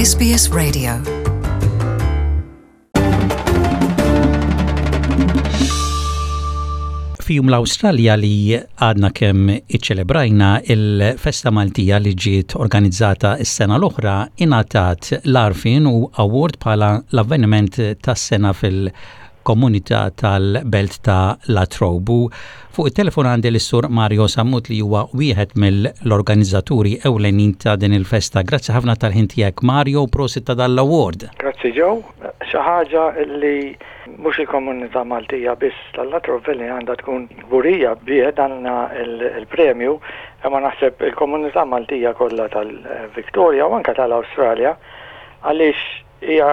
SBS Radio. F'Jum l-Awstralja li għadna kemm iċċelebrajna il-festa Maltija li ġiet organizzata s-sena l-oħra ingħatat l-għarfien u award bħala l-avveniment tas-sena fil- komunità tal-belt ta' La Trobe. U fuq it-telefon għandi lis-Sur Mario Sammut li huwa wieħed mill-organizzaturi ewlenin ta' din il-festa. Grazzi ħafna tal-ħin tiegħek Mario u prosit ta' dan l-award. Grazzi Joe. Xi ħaġa li mhux il-komunità Maltija biss tal-La Trobe li għandha tkun kburija bih dan il-premju, imma naħseb il-komunità Maltija kollha tal-Victoria u anke tal-Awstralja għaliex Hija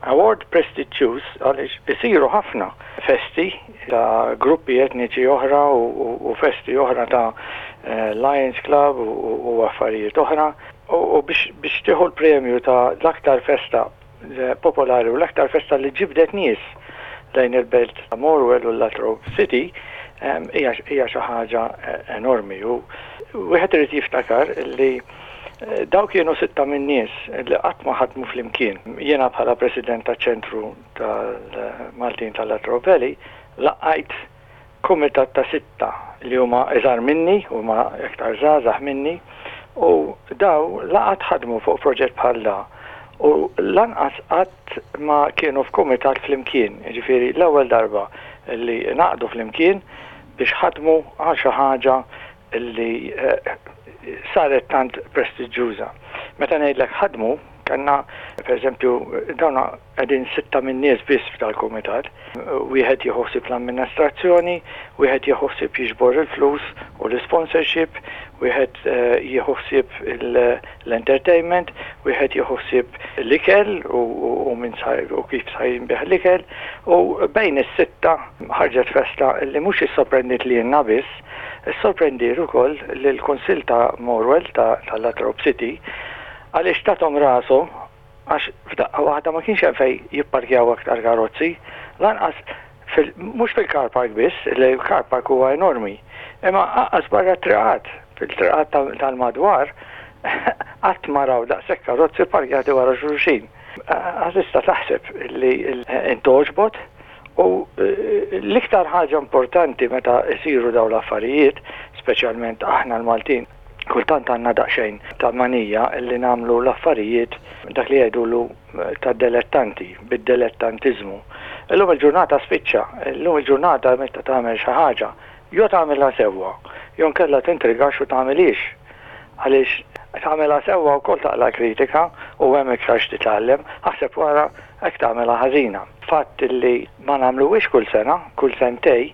award prestiġjuż għaliex isiru ħafna festi ta' gruppi etniċi oħra u festi oħra ta' Lions Club u affarijiet oħra u biex tieħu l-premju ta' l-aktar festa popolari u l-aktar festa li ġibdet nies lejn il-belt ta' Morwell u l-Latrobe City hija xi ħaġa enormi u wieħed irid jiftakar li Dawn kienu sitta min-nies li qatt ma ħadmu flimkien. Jiena bħala President taċ-Ċentru tal-Maltin tal-Latrobe Valley laqqajt kumitat ta' sitta li huma iżgħar minni, huma iktar żgħażagħ minni, u dawn la qatt ħadmu fuq proġett bħal da u lanqas qatt ma kienu f'kumitat flimkien, jiġifieri l-ewwel darba li ngħaqdu flimkien biex ħadmu għal xi ħaġa li saret tant prestiġġjuża. Meta ngħidlek ħadmu, kellna pereżempju dawn qegħdin sitta min-nies biss f'dal-kumitat. Wieħed jieħu ħsieb l-amministrazzjoni, wieħed jieħu ħsieb jiġbor il-flus u l-isponsorship, wieħed jieħu ħsieb l-entertainment, wieħed jieħu ħsieb l-ikel u min u kif sa jinbiegħ l-ikel u bejn is-sitta ħarġet festa li mhux issorprendiet lilna biss, Issorprendiet ukoll lill-Kunsill ta' Morwell ta' Latrobe City għaliex tathom rashom għax f'daqqa waħda ma kienx hemm fejn jipparkjaw aktar karozzi, lanqas fil mhux fil-car park biss, li l-car park huwa enormi, imma anqas barra t-triqat, fil-triqat tal-madwar qatt ma raw daqshekk karozzi pparkjati wara xulxin. Għax tista' taħseb li intgħoġbot U l-iktar ħaġa importanti meta jsiru dawn l-affarijiet, speċjalment aħna l-Maltin, kultant għandna daqsxejn ta' manija li nagħmlu l-affarijiet dak li jgħidulu ta' delettanti, bid-delettantiżmu. Illum il-ġurnata spiċċa, illum il-ġurnata meta tagħmel xi ħaġa, jew tagħmilha sewwa, jew inkella tintrigax u tagħmilhiex. Għaliex tagħmilha sewwa wkoll taqla' kritika u hemm iktar x'titgħallem, aħseb wara hekk tagħmilha ħażina. Fatt li ma nagħmluhiex kull sena, kull sentej,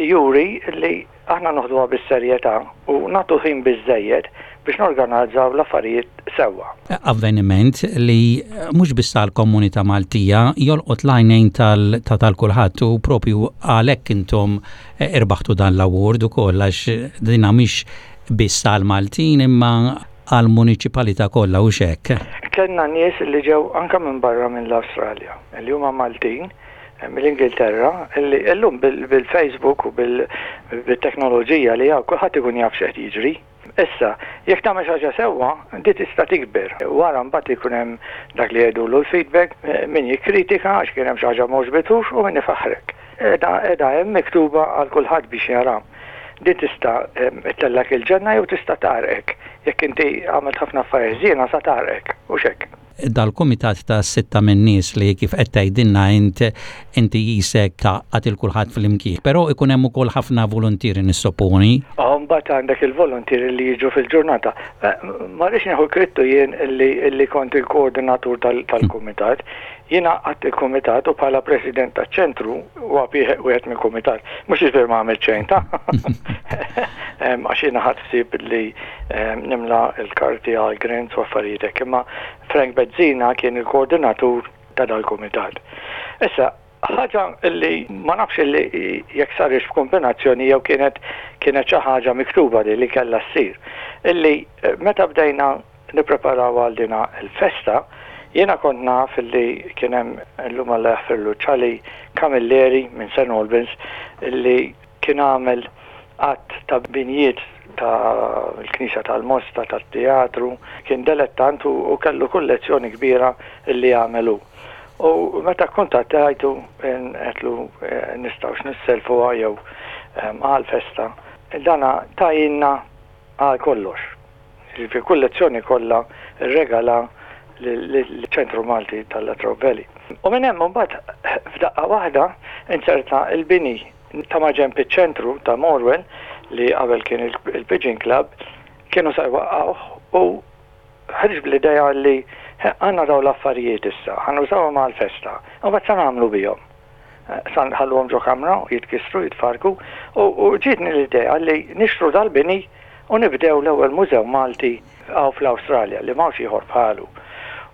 juri li aħna noħduha bis-serjetà u nagħtu ħin biżżejjed biex norganazzaw l-affarijiet sewwa. Avveniment li mhux biss għall-komunità Maltija jolqot l-għajnejn ta' tal-kulħadd u propju għalhekk intom irbaħtu dan l-award ukoll għax din mhix biss għall-Maltin imma għall-muniċipalità kollha hux hekk? Kellna nies li ġew anke minn barra minn l-Awstralja, li huma Maltin, mill-Ingilterra, li llum bil-Facebook u bit-teknoloġija li hawn kulħadd ikun jaf x'qed jiġri. Issa, jekk tagħmel xi ħaġa sewwa, di tista' tikber. Wara mbagħad ikun hemm dak li jgħidulu l-feedback, min jikkritika għax kien hemm xi ħaġa m'għoġbitux u min ifaħħrek. Qiegħda qiegħda hemm miktuba għal kulħadd biex jara. Din tista' ttellgħek il-ġenna jew tista' tgħarrqek. Jekk inti għamilt ħafna affarijiet ħżiena sa tgħarrqek, hux hekk? Dal-kumitat ta' sitta min-nies li kif qed tgħidilna int, inti qisek tgħaqqad 'il kulħadd flimkien. Però ikun hemm ukoll ħafna voluntieri nissoponi. Mbagħad għandek il-voluntieri li jiġu fil-ġurnata. Ma rridx nieħu l-krittu jien li kont il-koordinatur tal-kumitat. Jien għaqqadt il-kumitat u bħala president taċ-ċentru huwa wieħed mill-kumitat. Mhux jiġifieri ma għamilt xejn ta' għax jiena ħadt ħsieb li nimla l-karti għal grants u affarijiet hekk. Imma Frank Bezzina kien il-koordinatur ta' dal-kumitat. Issa, ħaġa li ma nafx li jekk sarix b'kombinazzjoni jew kienet kienet xi ħaġa miktuba li li kellha ssir. Illi meta bdejna nippreparaw għal din il-festa, jiena kont naf li kien hemm illum Alla jaħfirlu Charlie Camilleri minn St Albans li kien għamel għadd ta' binjiet ta' l-Knisja tal-Mosta, tat-teatru, kien delettant u kellu kullezzjoni kbira li għamel hu. U meta kkuntattajtu għedtlu nistgħux nisselfuha jew għall-festa, dana tajinna għal kollox. Jiġifieri kullezzjoni kollha rregala lill-Ċentru Malti tal-Latrobe Valley. U minn hemm imbagħad f'daqqa waħda inzerta l-bini ta' maġenb iċ-ċentru ta' Morwell li qabel kien il-Pigeon Club kienu sa jwaqqgħuh u ħriġt bl-idea li għandna dawn l-affarijiet issa, ħa nużawhom għall-festa, u mbagħad sa nagħmlu bihom? Sa nħalluhom ġo kamra u jitkissru, jitfarrku? U ġietni l-idea li nixtru dal-bini u nibdew l-ewwel mużew Malti hawn fl-Awstralja li m'hawnx ieħor bħalu.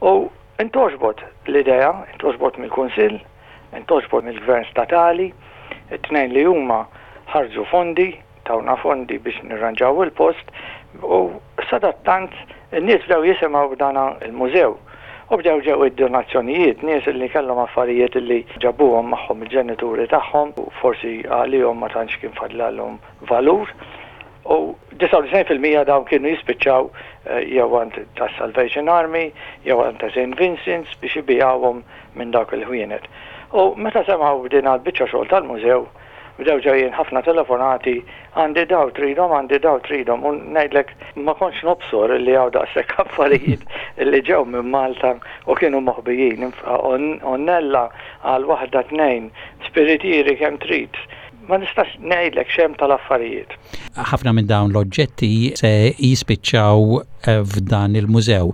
U ntgħoġbot l-idea, ntgħoġbot mill-Kunsill, ntgħoġbot mill-Gvern Statali, it-tnejn li huma ħarġu fondi, tawna fondi biex nirranġaw il-post u sadattant in-nies bdew jisimgħu b'dan il-mużew u bdew ġew id-donazzjonijiet, nies li kellhom affarijiet li ġabuhom magħhom il-ġenituri tagħhom u forsi għalihom ma tantx kien fadlalhom valur u 99% dawn kienu jispiċċaw jew għand tas-Salvation Army jew għand ta' St Vincent's biex ibigħuhom minn dawk il-ħwienet. U meta semgħu b'din il-biċċa xogħol tal-mużew, Bdew ġejjin ħafna telefonati, għandi daw tridhom, għandi daw tridhom u ngħidlek ma kontx nobsor li hawn daqshekk affarijiet li ġew minn Malta u kienu moħbijin. Għonnella għal waħda tnejn, spiritieri kemm trid. Ma nistax ngħidlek x'hemm tal-affarijiet. Ħafna minn dawn l-oġġetti se jispiċċaw f'dan il-mużew.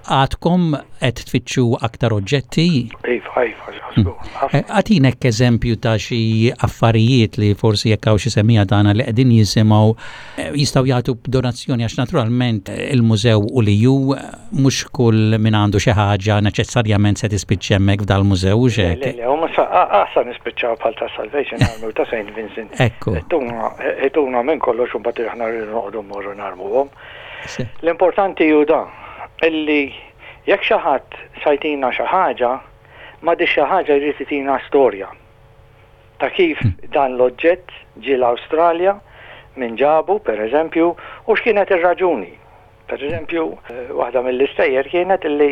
Għadkom qed tfittxu aktar oġġetti? Iva, iva, żgur. Eh, Agħtinek eżempju ta' xi affarijiet li forsi jekk hawn xi semmiegħa tagħna li qegħdin jisimgħu eh, jistgħu jagħtu donazzjoni għax naturalment eh, il-mużew u li ju mhux kull min għandu xi ħaġa neċessarjament se tispiċċa hemmhekk f'dal-mużew u xek. Le, le, u asa nispiċċaw bħal ta' Salvation Army u ta' St. Vincent. Ekku. Ituna minn kollox u mbagħad aħna rridu noqogħdu mmorru narmuhom. L-importanti hu dan, illi jekk xi ħadd sa jtina xi ħaġa, ma' dik xi ħaġa jrid itina storja ta' kif dan l-oġġett ġie l-Awstralja, min ġabu, per eżempju, u x'kienet ir-raġuni. Per eżempju, waħda mill-istejjer kienet illi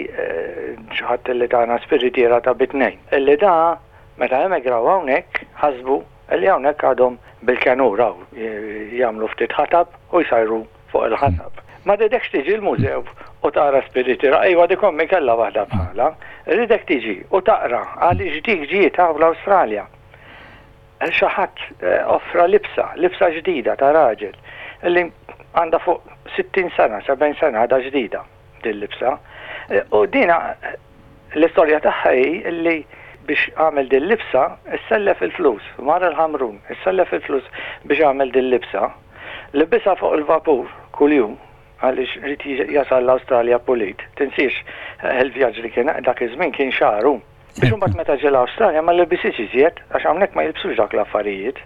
xi ħadd illi tana spiritiera ta' bi tnejn, illi da meta emigraw hawnhekk ħasbu illi hawnhekk għadhom bil-kenur hawn jagħmlu ftit ħatab u jsajru fuq il-ħatab. Ma rridekx tiġi l-mużew u tara spiritiera, ejwa dik ommi kellha waħda bħalha. Irridek tiġi u taqra għaliex dik ġiet hawn l-Awstralja. Xi ħadd offra libsa, libsa ġdida ta' raġel li għandha fuq 60 sena, 70 sena għadha ġdida din libsa. U dina L-istorja tagħha hi li biex għamel din libsa issellef il-flus, mar il-Ħamrun, issellef il-flus biex għamel din libsa, libisha fuq il-vapur kuljum għaliex ried jasal l-Awstralja pulit. Tinsiex il-vjaġġ li kien dak iż-żmien kien xahar hu. Biex imbagħad meta ġie l-Awstralja ma libishiex iżjed għax hawnhekk ma jilbsux dawk l-affarijiet.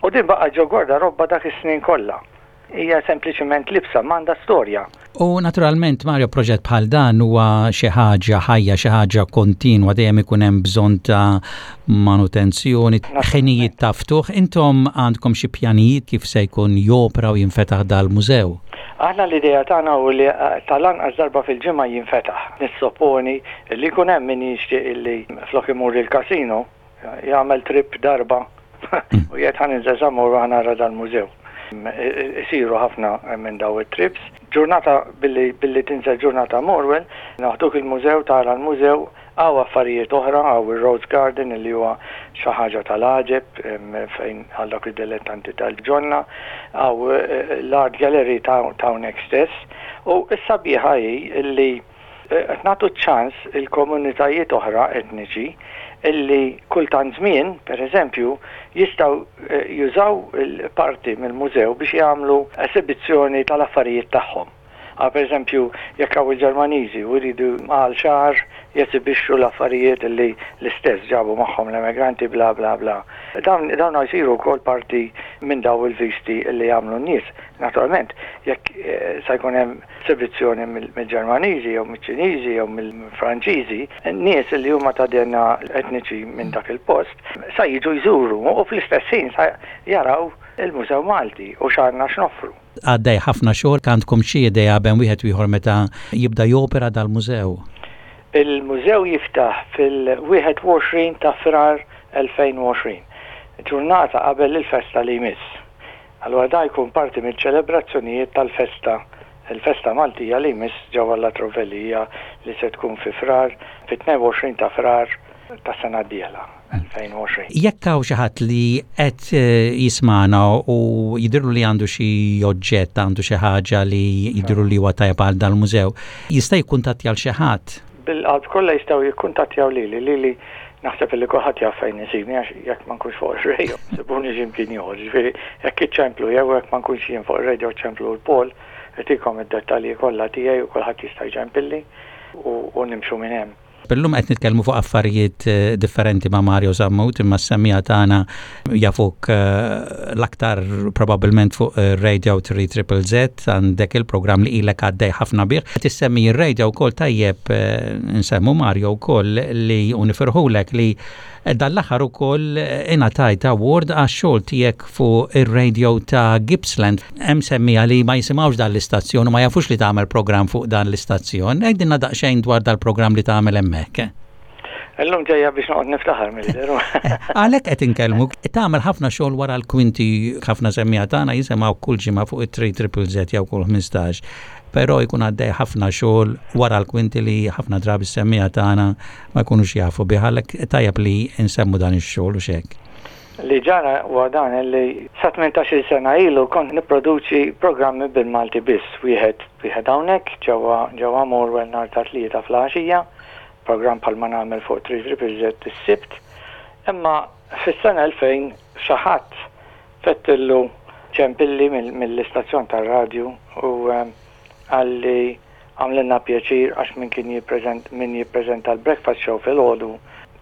U din baqgħet ġo gwardarobba dak is-snin kollha. Hija sempliċement libsa, m'għandha storja. U naturalment, Mario, proġett bħal dan huwa xi ħaġa ħajja, xi ħaġa kontinwa, dejjem ikun hemm bżonn ta' manutenzjoni, ħinijiet ta' ftuħ. Intom għandkom xi pjanijiet kif se jkun jopra u jinfetaħ dal-mużew? Aħna l-idea tagħna hu li tal-anqas darba fil-ġimgħa jinfetaħ. Nissoponi li jkun hemm min jixtieq li flok imur il-casino, jagħmel trip darba u jgħid ħa ninżel sa mmur u ħa nara dal-mużew. Isiru ħafna minn daw it-trips. Ġurnata billi billi tinżel ġurnata Morwell, naħduk il-mużew, tara l-mużew, hawn affarijiet oħra, hawn ir-Rose Garden li huwa xi ħaġa tal-għaġeb fejn għal dawk id-dilettanti tal-ġonna, hawn l-art gallery ta' hawnhekk stess. U s-sabiħa hi li Qed nagħtu ċ-ċans il-komunitajiet oħra etniċi illi kull tant żmien, per eżempju, jistgħu jużaw parti mill-mużew biex jagħmlu esibizzjoni tal-affarijiet tagħhom. Għal per eżempju, jekk hawn il-Ġermaniżi u jridu għal xahar jesibixxu l-affarijiet li l-istess ġabu magħhom l-emigranti bla bla bla. Dawn dawn jsiru wkoll parti minn dawn il-visti li jagħmlu n-nies. Naturalment, jekk sa jkun hemm esibizzjoni mill-Ġermaniżi jew miċ-Ċiniżi jew mill-Franċiżi, nies li huma ta' DNA etniċi minn dak il-post sa jiġu jżuru u fl-istess ħin sa jaraw il-Mużew Malti u x'għandna x'noffru. Għaddej ħafna xogħol, għandkom xi idea bejn wieħed u ieħor meta jibda jopera dal-mużew? Il-mużew jiftaħ fil-21 ta' Frar 2020, ġurnata qabel il-festa li jmiss. Allura dan jkun parti miċ-ċelebrazzjonijiet tal-festa, il-festa Maltija li jmiss ġewwa La Trovelija li se tkun fi Frar, fit-22 ta' Frar tas-sena d-dieħla, 2020. Jekk hawn xi ħadd li qed jismagħna u jidhirlu li għandu xi oġġett, għandu xi ħaġa li jidhirlu li huwa tajjeb għal dal-mużew, jista' jikkuntattja 'l xi ħadd? Bil-qalb kollha jistgħu jikkuntattjaw lili. Lili naħseb illi kulħadd jaf fejn isibni għax jekk ma nkunx fuq ir-radio isibuni xi mkien ieħor. Jiġifieri jekk iċċemplu jew jekk ma nkunx jien fuq ir-radio ċemplu 'l Paul itikom id-dettalji kollha tiegħi u kulħadd jista' jċempilli u nimxu minn hemm. Illum qed nitkellmu fuq affarijiet differenti ma' Mario Sammut imma s-semmiegħa tagħna jafuk l-aktar probabbilment fuq Radio 3 Triple Z għandek il-programm li ilek għaddej ħafna bih. Qed issemmi r-radio wkoll tajjeb nsemmu Mario wkoll li u nifirħulek li dan l-aħħar ukoll ingħatajt award għax-xogħol tiegħek fuq ir-radio ta' Gippsland. Hemm semmiegħa li ma jisimgħux dan l-istazzjon u ma jafux li tagħmel programm fuq dan l-istazzjon. Għidilna daqsxejn dwar dal-programm li tagħmel hemmhekk. Illum ġejja biex noqgħod niftaħar mill-deru. Għalhekk qed inkellmuk, tagħmel ħafna xogħol wara l-kwinti ħafna semmiegħa tagħna jisimgħu kull ġimgħa fuq it-3 Triple Z jew kull 15. Però jkun għaddej ħafna xogħol wara l-kwinti li ħafna drabi s-semmiegħa tagħna ma jkunux jafu bih għalhekk tajjeb li nsemmu dan ix-xogħol u x'hekk. Li ġara huwa dan li sa 18-il sena ilu kont nipproduċi programmi bil-Malti biss, wieħed wieħed hawnhekk ġewwa ġewwa Morwell nhar ta' Tlieta fl-għaxija, programm bħalma nagħmel fuq 3 Triple Z is-Sibt. Imma fis-sena 2000 xi ħadd fettillu ċempilli mill-istazzjon tar-radju u qalli għamlilna pjaċir għax min kien jippreżent min jippreżenta l-breakfast show filgħodu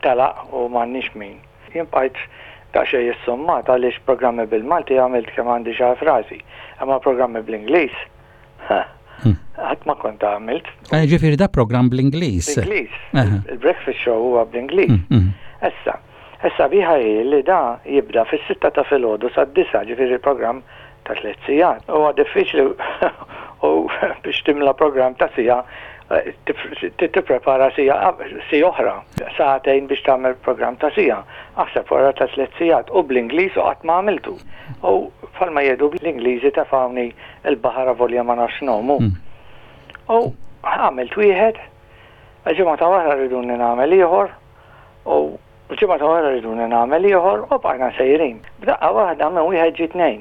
telaq u m'għandniex min. Jien bqajt daqsxejn issummat għaliex programmi bil-Malti għamilt kemm għandi xagħar f'rasi, imma programmi bl-Ingliż, ha, qatt ma kont għamilt. Eh, ġifieri da programm bl-Ingliż. Bl-Ingliż. Il-breakfast show huwa bl-Ingliż. Mm, mm. Issa, issa biħa hi li da jibda fis-sitta ta' filgħodu sad-disa, ġifieri programm ta' tliet sigħat. Huwa diffiċli u biex timla programm ta' siegħa tipprepara siegħa siegħa oħra, sagħtejn biex tagħmel programm ta' siegħa. Aħseb wara ta' tliet sigħat u bl-Ingliż u qatt ma għamiltu. U bħalma jgħidu l-Ingliżi tefgħuni l-baħar avolja ma nafx ngħum. U għamilt wieħed, il-ġimgħa ta' wara riduni nagħmel ieħor u l-ġimgħa ta' wara riduni nagħmel ieħor u bqajna sejrin. B'daqqa waħda minn wieħed ġie tnejn.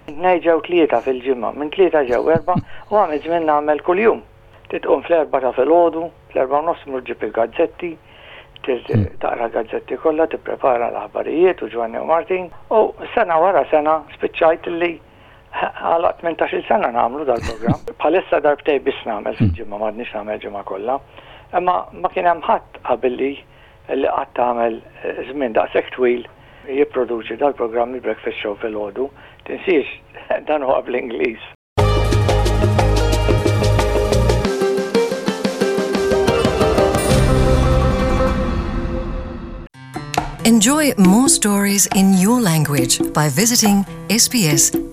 Minn tnejn ġew tlieta fil-ġimgħa, minn tlieta ġew erbgħa u għamilt żmien nagħmel kuljum. Trid tqum fl-erbgħa ta' filgħodu, fl-erbgħa u nofs tmur ġġib il-gazzetti, trid taqra l-gazzetti kollha, tipprepara l-aħbarijiet u Ġwanni u Martin. U sena wara sena spiċċajt li għalaq 18-il sena nagħmlu dal-programm. Bħalissa darbtejn biss nagħmel fil-ġimgħa, m'għadniex nagħmel ġimgħa kollha. Imma ma kien hemm ħadd qabilli li qatt għamel żmien daqshekk twil jipproduċi dal-programm il-Breakfast Show filgħodu. Tinsiex, dan huwa bl-Ingliż. Enjoy more stories in your language by visiting sbs.com.au.